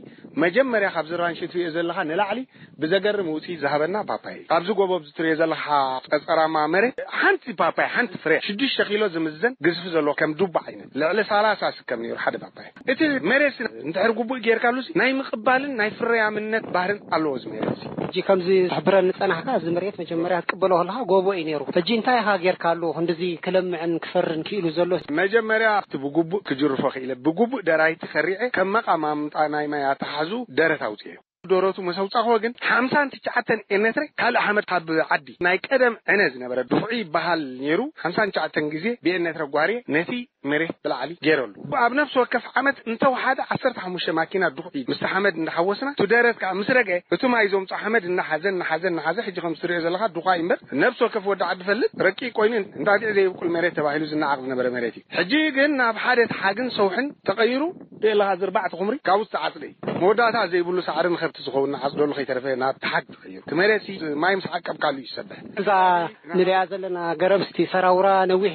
መጀመርያ ካብዚ ራንሺ ትሪኦ ዘለኻ ንላዕሊ ብዘገርም ውፅኢት ዝሃበና ፓፓየ እዩ። ኣብዚ ጎቦ ኣብዚ ትሪኦ ዘለኻ ጸጸራማ መሬት ሓንቲ ፓፓየ ሓንቲ ፍረ ሽዱሽተ ኪሎ ዝምዘን ግዝፊ ዘለዎ ከም ዱባ ዓይነት ልዕሊ ሰላሳ ስከም ነይሩ ሓደ ፓፓየ። እቲ መሬት ሲ እንድሕር ግቡእ ጌርካሉ ሲ ናይ ምቕባልን ናይ ፍርያምነት ባህርን ኣለዎ እዚ መሬት ሲ። ሕጂ ከምዚ ትሕብረኒ ጸናሕካ፣ እዚ መሬት መጀመርያ ክትቅበሎ ከለኻ ጎቦ እዩ ነይሩ። ሕጂ እንታይ ኢኻ ጌርካሉ ክንድዚ ክለምዕን ክፈርን ክኢሉ ዘሎ? መጀመርያ እቲ ብግቡእ ክጅርፎ ክኢለ፣ ብግቡእ ደራይቲ ከሪዐ፣ ከም መቓማምጣ ናይ ማይ ኣተሓሕዝኡ ደረት ኣውፅኤዮ። ደረቱ ምስ ኣውፃእክዎ ግን ሓምሳን ትሽዓተን ኤነትረ ካልእ ሓመድ ካብ ዓዲ ናይ ቀደም ዕነ ዝነበረ ድኹዒ ይበሃል ነይሩ። ሓምሳን ትሽዓተን ግዜ ብኤነትረ ጓርየ ነቲ መሬት ብላዕሊ ገይረሉ። ኣብ ነፍሲ ወከፍ ዓመት እንተወሓደ ዓሰርተ ሓሙሽተ ማኪና ድኹዒ ምስቲ ሓመድ እንዳሓወስና፣ እቲ ደረት ከዓ ምስ ረግአ፣ እቲ ማይ ዘምፅኦ ሓመድ እናሓዘ፣ እናሓዘ፣ እናሓዘ፣ ሕጂ ከም ትሪኦ ዘለኻ ድኹዒ እምበር፣ ነፍሲ ወከፍ ወዲ ዓዲ ፈልጥ ረቂቕ ኮይኑ እንጣጢዕ ዘይብቁል መሬት ተባሂሉ ዝነዓቕ ዝነበረ መሬት እዩ። ሕጂ ግን ናብ ሓደ ተሓግን ሰውሕን ተቐይሩ፣ ብኤለኻ እዚ ኣርባዕተ ኩምሪ ካብኡ ዝተዓፅደ እዩ። መወዳእታ ዘይብሉ ሳዕሪ ንኸብቲ ዝኸውን ንዓፅደሉ ከይተረፈ ናብ ተሓግ ተቐይሩ። እቲ መሬት ሲ ማይ ምስ ዓቀብካሉ እዩ ዝሰብሕ። እዛ ንሪኣ ዘለና ገረብ እስቲ ሰራውራ ነዊሕ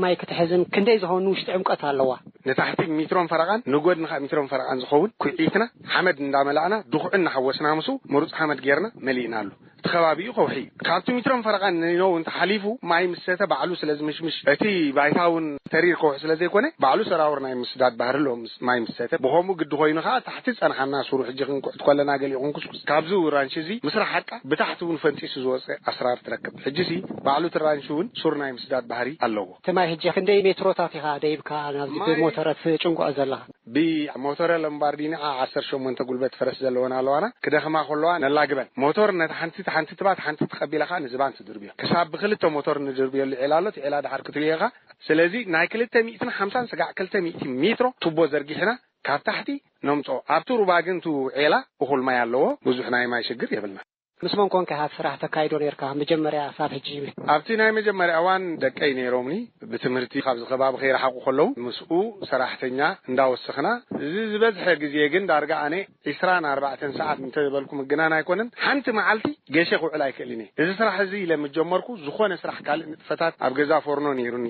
ማይ ክትሕዝን ክንደይ ዝኸውን ውሽጢ ዕምቀት ኣለዋ? ንታሕቲ ሚትሮን ፈረቓን ንጎድኒ ከዓ ሚትሮን ፈረቓን ዝኸውን ኩዒትና ሓመድ እንዳመላእና ድኹዒ እናሓወስና ምስኡ ምሩፅ ሓመድ ጌርና መሊእናሉ። እቲ ከባቢኡ ከውሒ እዩ። ካብቲ ሚትሮን ፈረቓን ንነው እንተሓሊፉ ማይ ምስ ሰተ ባዕሉ ስለ ዝምሽምሽ እቲ ባይታ እውን ተሪር ከውሒ ስለ ዘይኮነ ባዕሉ ሰራውር ናይ ምስዳድ ባህሪ ኣለዎ። ምስ ማይ ምስ ሰተ ብኸምኡ ግዲ ኮይኑ ከዓ ታሕቲ ዝጸንሓና ሱሩ ሕጂ ክንኩዕት ከለና ገሊኡ ክንኩስኩስ ካብዚ ራንሺ እዚ ምስ ረሓቃ ብታሕቲ እውን ፈንጢሱ ዝወፀ ኣስራር ትረክብ። ሕጂ ሲ ባዕሉ እቲ ራንሺ እውን ሱር ናይ ምስዳድ ባህሪ ኣለዎ። እቲ ማይ ሕጂ ክንደይ ሜትሮታት ኢኻ ደይብካ ናብዚ ማይ ብሞተረት ጭንቆ ዘለኻ? ብሞተረ ለምባርዲኒ ዓ ዓሰርተ ሸሞንተ ጉልበት ፈረስ ዘለወን ኣለዋና ክደኽማ ከለዋ ነላግበን። ሞተር ነቲ ሓንቲ ሓንቲ ትባት ሓንቲ ተቐቢላ ከዓ ንዝባን ትድርብዮ። ክሳብ ብክልተ ሞተር ንድርብየሉ ዒላ ኣሎ። እቲ ዒላ ድሓር ክትርእዮ ኢኻ። ስለዚ ናይ ክልተ ሚእትን ሓምሳን ስጋዕ ክልተ ሚእቲ ሜትሮ ቱቦ ዘርጊሕና ካብ ታሕቲ ነምፅኦ። ኣብቲ ሩባ ግን እቲ ዒላ እኹል ማይ ኣለዎ። ብዙሕ ናይ ማይ ሽግር የብልና። ምስ መን ኮንካ ኢኻ ስራሕ ተካይዶ ነይርካ መጀመርያ ሳብ ሕጂ? ኣብቲ ናይ መጀመርያ እዋን ደቀይ ነይሮምኒ። ብትምህርቲ ካብዚ ከባቢ ከይረሓቑ ከለዉ ምስኡ ሰራሕተኛ እንዳወሰኽና፣ እዚ ዝበዝሐ ግዜ ግን ዳርጋ ኣነ ዒስራን ኣርባዕተን ሰዓት እንተበልኩ ምግናን ኣይኮነን። ሓንቲ መዓልቲ ገሸ ክውዕል ኣይክእልን እየ። እዚ ስራሕ እዚ ኢለ ምስ ጀመርኩ ዝኾነ ስራሕ ካልእ ንጥፈታት ኣብ ገዛ ፎርኖ ነይሩኒ።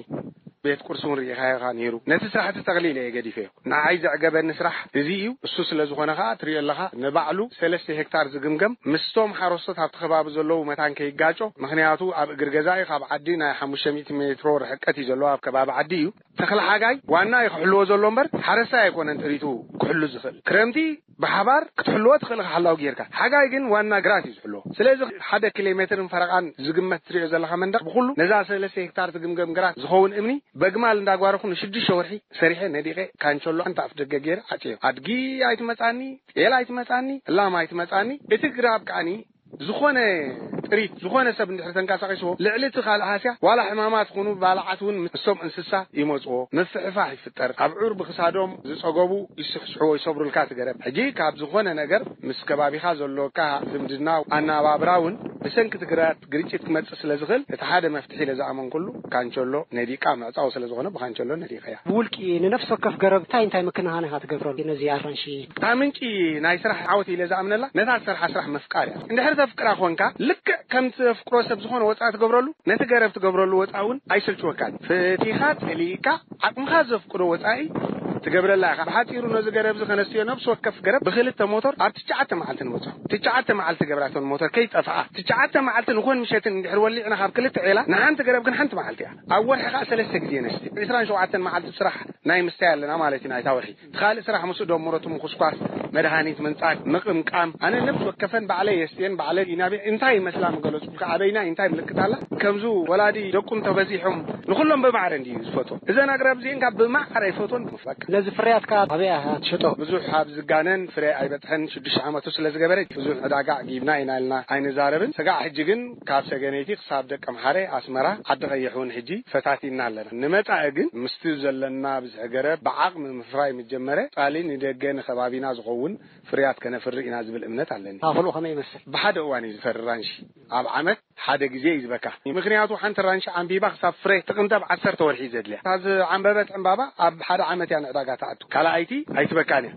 ቤት ቁርሲ እውን ርኢኻዮ ኢኻ ነይሩ። ነቲ ስራሕ እቲ ጠቕሊለ እየ ገዲፈዮ። ንዓይ ዘዕገበኒ ስራሕ እዚ እዩ። እሱ ስለ ዝኾነ ኸኣ ትሪኦ ኣለኻ፣ ንባዕሉ ሰለስተ ሄክታር ዝግምገም ምስቶም ሓረስቶት ኣብቲ ከባቢ ዘለዉ መታን ከይጋጮ፣ ምኽንያቱ ኣብ እግሪ ገዛኢ ካብ ዓዲ ናይ ሓሙሽተ ሚእቲ ሜትሮ ርሕቀት እዩ ዘለዎ፣ ኣብ ከባቢ ዓዲ እዩ። ተኽሊ ሓጋይ ዋና እዩ ክሕልዎ ዘሎ እምበር፣ ሓረስታይ ኣይኮነን ጥሪቱ ክሕሉ ዝኽእል። ክረምቲ ብሓባር ክትሕልዎ ትኽእል፣ ሓላው ጌርካ። ሓጋይ ግን ዋና ግራት እዩ ዝሕልዎ። ስለዚ ሓደ ኪሎ ሜትርን ፈረቓን ዝግመት ትሪኦ ዘለኻ መንደቕ፣ ብኹሉ ነዛ ሰለስተ ሄክታር ትግምገም ግራት ዝኸውን እምኒ በግማል እንዳጓረኹ ንሽዱሽተ ወርሒ ሰሪሐ ነዲቐ፣ ካንቸሎ ሓንቲ ኣፍ ደገ ገይረ ዓጽዮ። ኣድጊ ኣይትመጻኒ፣ ጤል ኣይትመጻኒ፣ ላም ኣይትመጻኒ። እቲ ግራብ ከኣኒ ዝኾነ ጥሪት፣ ዝኾነ ሰብ እንድሕር ተንቀሳቒስዎ፣ ልዕሊ እቲ ካልእ ሃስያ፣ ዋላ ሕማማት ኹኑ ባልዓት እውን ምስቶም እንስሳ ይመጽዎ፣ ምፍሕፋሕ ይፍጠር። ኣብዑር ብኽሳዶም ዝጸገቡ ይስሕስሕዎ፣ ይሰብሩልካ እቲ ገረብ። ሕጂ ካብ ዝኾነ ነገር ምስ ከባቢኻ ዘሎካ ዝምድና፣ ኣነባብራ እውን ብሰንኪ እቲ ግራት ግርጭት ክመጽእ ስለ ዝኽእል፣ እቲ ሓደ መፍትሒ ኢለ ዝኣመንኩሉ ካንቸሎ ነዲቃ ምዕጻው ስለ ዝኾነ፣ ብካንቸሎ ነዲቀያ። ብውልቂ ንነፍሲ ወከፍ ገረብ እንታይ እንታይ ምክንኻን ኢኻ ትገብረሉ ነዚ ኣራንሺ? እታ ምንጪ ናይ ስራሕ ዓወት ኢለ ዝኣምነላ፣ ነታ ትሰርሓ ስራሕ ምፍቃር እያ። እንድሕር ተፍቅራ ኮንካ፣ ልክዕ ከም ትፍቅሮ ሰብ ዝኾነ ወጻኢ ትገብረሉ፣ ነቲ ገረብ ትገብረሉ ወጻኢ እውን ኣይስልችወካን። ፈቲኻ፣ ጸሊእካ፣ ዓቕምኻ ዘፍቅዶ ወጻኢ ትገብረላ ኢኻ። ብሓጺሩ፣ ነዚ ገረብ እዚ ከነስትዮ፣ ነፍሲ ወከፍ ገረብ ብኽልተ ሞተር ኣብ ትሽዓተ መዓልቲ ንበጽሖ። ትሽዓተ መዓልቲ ገብራቶን ሞተር ከይጠፍኣ። ትሽዓተ መዓልቲ ንኾን ምሸትን እንድሕር ወሊዕና ካብ ክልተ ዔላ፣ ንሓንቲ ገረብ ግን ሓንቲ መዓልቲ እያ። ኣብ ወርሒ ከኣ ሰለስተ ግዜ ነስቲ። ዕስራን ሸውዓተን መዓልቲ ስራሕ ናይ ምስታይ ኣለና ማለት እዩ፣ ናይታ ወርሒ። እቲ ካልእ ስራሕ ምስኡ ደምሮ፣ እቲ ምኹስኳስ፣ መድሃኒት ምንጻግ፣ ምቕምቃም። ኣነ ነፍሲ ወከፈን ባዕለይ የስትየን፣ ባዕለይ ይናብየ። እንታይ ይመስላ ምገለጹልካ፣ ኣበይና እንታይ ምልክት ኣላ? ከምዚ ወላዲ ደቁ እንተበዚሖም ንኹሎም ብማዕረ እንድዩ ዝፈትዎ። እዘን ኣግራብ እዚአን ካብ ብማዕረ ይፈትወን። በቃ። ነዚ ፍርያትካ ኣበይ ኢኻ ትሸጦ? ብዙሕ ኣብ ዝጋነን ፍረ ኣይበጽሐን፣ ሽዱሽተ ዓመቱ ስለ ዝገበረ ብዙሕ ዕዳጋ ጊብና ኢና ኢልና ኣይንዛረብን። ስጋዕ ሕጂ ግን ካብ ሰገነይቲ ክሳብ ደቀምሓረ፣ ኣስመራ፣ ዓዲ ቀይሕ እውን ሕጂ ፈታቲና ኣለና። ንመጻኢ ግን ምስቲ ዘለና ብዝሒ ገረብ ብዓቕሚ ምፍራይ ምስ ጀመረ፣ ጻሊ ንደገ ንከባቢና ዝኸውን ፍርያት ከነፍሪ ኢና ዝብል እምነት ኣለኒ። ኣኽልኡ ከመይ ይመስል? ብሓደ እዋን እዩ ዝፈሪ ራንሺ። ኣብ ዓመት ሓደ ግዜ እዩ ዝበካ። ምኽንያቱ ሓንቲ ራንሺ ዓምቢባ ክሳብ ፍረ ጥቕምቲ ኣብ ዓሰርተ ወርሒ እዩ ዘድልያ። እታ ዝዓምበበት ዕምባባ ኣብ ሓደ ዓመት እያ ንዕዳጋ ትኣቱ። ካልኣይቲ ኣይትበካን እያ።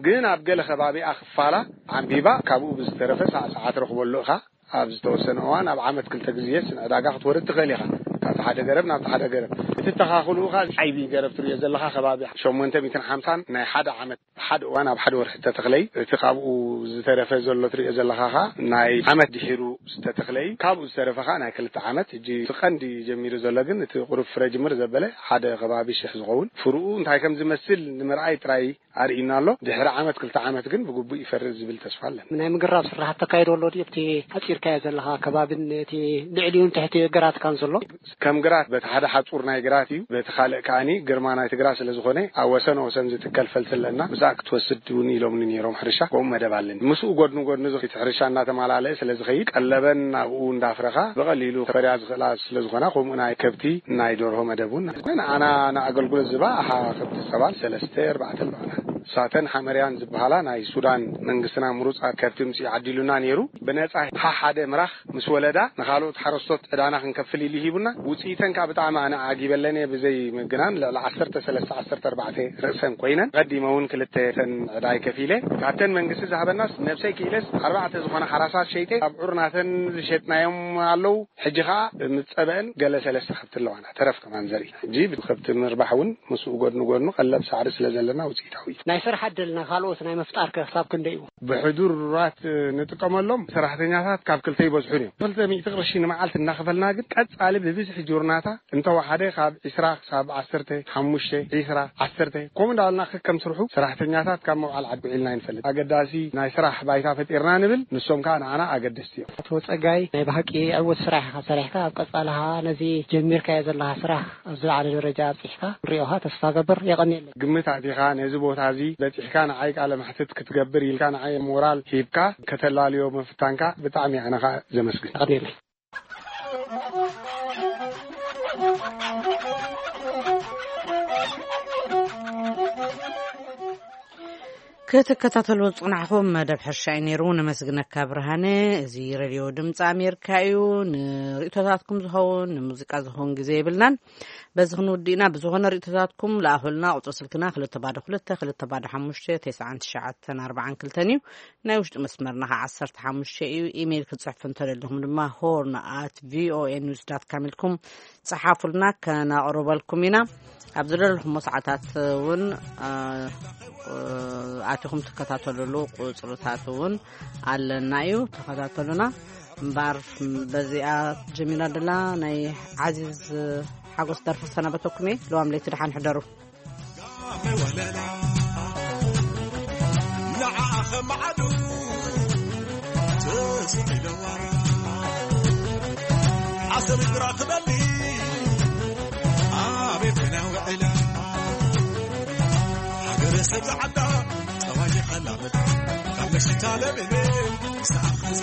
ግን ኣብ ገለ ከባቢኣ ክፋላ ዓምቢባ ካብኡ ብዝተረፈ ሳዕሳዓ ትረኽበሉ ኢኻ። ኣብ ዝተወሰነ እዋን ኣብ ዓመት ክልተ ግዜስ ንዕዳጋ ክትወርድ ትኽእል ኢኻ። ካብቲ ሓደ ገረብ ናብቲ ሓደ ገረብ። እቲ ተኻኽልኡ ኸኣ ዓይቢ ገረብ ትርእዮ ዘለኻ ከባቢ ሸሞንተ ሚእትን ሓምሳን ናይ ሓደ ዓመት ሓደ እዋን ኣብ ሓደ ወርሒ ዝተተኽለ እዩ። እቲ ካብኡ ዝተረፈ ዘሎ ትርእዮ ዘለኻ ኸኣ ናይ ዓመት ድሒሩ ዝተተኽለ እዩ። ካብኡ ዝተረፈ ኸኣ ናይ ክልተ ዓመት። ሕጂ እቲ ቀንዲ ጀሚሩ ዘሎ ግን እቲ ቁሩብ ፍረ ጅምር ዘበለ ሓደ ከባቢ ሽሕ ዝኸውን ፍርኡ እንታይ ከም ዝመስል ንምርኣይ ጥራይ ኣርእዩና ኣሎ። ድሕሪ ዓመት ክልተ ዓመት ግን ብግቡእ ይፈሪ ዝብል ተስፋ ኣለና። ናይ ምግራብ ስራሓት ተካይዶ ኣሎ ድዩ? ኣብቲ ሓጺርካዮ ዘለኻ ከባብን እቲ ልዕሊኡን ትሕቲ ግራትካን ዘሎ? ከም ግራት በቲ ሓደ ሓጹር ናይ ግራት እዩ፣ በቲ ካልእ ከኣኒ ግርማ ናይቲ ግራት ስለ ዝኾነ ኣብ ወሰን ወሰን ዝትከል ፈልሲ ኣለና። ብዛዕ ክትወስድ እውን ኢሎምኒ ነይሮም ሕርሻ፣ ከምኡ መደብ ኣለኒ። ምስኡ ጎድኒ ጎድኒ ዝኸ-፣ እቲ ሕርሻ እናተማላለአ ስለ ዝኸይድ ቀለበን ናብኡ እንዳፍረኻ ብቐሊሉ ከፈርያ ዝኽእላ ስለ ዝኾና፣ ከምኡ ናይ ከብቲ ናይ ደርሆ መደብ እውን ንዓና ንኣገልግሎት ዝባ ኣሓ ከብቲ ጸባን ሰለስተ ኣርባዕተ ኣለዋና። ሳተን ሓመርያን ዝበሃላ ናይ ሱዳን መንግስትና ምሩጻት ከብቲ ምጽኡ ዓዲሉና ነይሩ። ብነጻ ሓ ሓደ ምራኽ ምስ ወለዳ ንኻልኦት ሓረስቶት ዕዳና ክንከፍል ኢሉ ሂቡና። ውጽኢተን ከኣ ብጣዕሚ ኣነ ዓጊበለን እየ። ብዘይ ምግናን ልዕሊ ዓሰርተ ሰለስተ ዓሰርተ ኣርባዕተ ርእሰን ኮይነን፣ ቀዲመ እውን ክልተ ተን ዕዳይ ከፊለ። ካብተን መንግስቲ ዝሃበናስ ነብሰይ ክኢለስ ኣርባዕተ ዝኾና ሓራሳት ሸይጠ፣ ኣብ ዑር ናተን ዝሸጥናዮም ኣለዉ። ሕጂ ኸኣ ምስ ጸበአን ገለ ሰለስተ ከብቲ ኣለዋና፣ ተረፍ ከማን ዘርኢ። ሕጂ ብከብቲ ምርባሕ እውን ምስኡ ጎድኒ ጎድኑ ቀለብ ሳዕሪ ስለ ዘለና ውጽኢታዊ እዩ። ናይ ስራሕ ዕድል ንኻልኦት ናይ ምፍጣር ከ ክሳብ ክንደይ እዩ? ብሕዱራት ንጥቀመሎም ሰራሕተኛታት ካብ ክልተ ይበዝሑን እዮም። ክልተ ሚእቲ ቅርሺ ንመዓልቲ እናኸፈልና ግን ቀጻሊ ብብዝሒ ጆርናታ እንተወሓደ ካብ ዒስራ ክሳብ ዓሰርተ ሓሙሽተ፣ ዒስራ፣ ዓሰርተ፣ ከምኡ እንዳበልና ከከም ስርሑ ሰራሕተኛታት ካብ መውዓል ዓዲ ውዒልና ኣይንፈልጥ። ኣገዳሲ ናይ ስራሕ ባይታ ፈጢርና ንብል፣ ንሶም ከኣ ንዓና ኣገደስቲ እዮም። ኣቶ ጸጋይ፣ ናይ ብሓቂ ዕዉት ስራሕ ኢኻ ሰሪሕካ። ኣብ ቀጻሊ ኸኣ ነዚ ጀሚርካዮ ዘለኻ ስራሕ ኣብ ዝለዓለ ደረጃ ኣብጺሕካ ክንሪኦኻ ተስፋ ገብር። የቐንየለይ። ግምት ኣእቲኻ ነዚ ቦታ እዚ በጺሕካ ንዓይ ቃለ መሕትት ክትገብር ኢልካ ንዓይ ሞራል ሂብካ ከተላልዮ ምፍታንካ ብጣዕሚ ኣነ ኸኣ ዘመስግን። የቐንየለይ። ክትከታተሉ ዝጽናሕኹም መደብ ሕርሻ እዩ ነይሩ። ነመስግነካ ብርሃነ። እዚ ሬድዮ ድምፂ ኣሜሪካ እዩ። ንርእቶታትኩም ዝኸውን፣ ንሙዚቃ ዝኸውን ግዜ የብልናን። በዚ ክንውድእ ኢና። ብዝኾነ ርእቶታትኩም ለኣኹልና። ቁጽሪ ስልክና ክልተ ባዶ ክልተ፣ ክልተ ባዶ ሓሙሽተ፣ ተስዓን ትሽዓተን ኣርባዓን ክልተን እዩ። ናይ ውሽጢ መስመርና ኸዓ ዓሰርተ ሓሙሽተ እዩ። ኢሜይል ክትጽሕፉ እንተደሊኹም ድማ ሆርን ኣት ቪኦኤ ኒውስ ዳት ካም ኢልኩም ጸሓፉልና፣ ከናቕርበልኩም ኢና። ኣብ ዝደለኹሞ ሰዓታት እውን፣ እ፣ እ፣ ኣቲኹም ትከታተሉሉ ቁጽርታት እውን ኣለና እዩ። ተኸታተሉና። እምበኣር በዚኣ ጀሚራ ደላ ናይ ዓዚዝ ሓጎስ ደርፊ ክሰናበተኩም እየ። ለዋም ለይቲ ደሓን ሕደሩ። ዓሰብ ግራ ክበሊ ኣቤት ናውዕላ ሃገረ ሰብ ዝዓዳ ጠዋይ ከላበት ካብ መሽታ ለቤቤ ሰኣኸዛ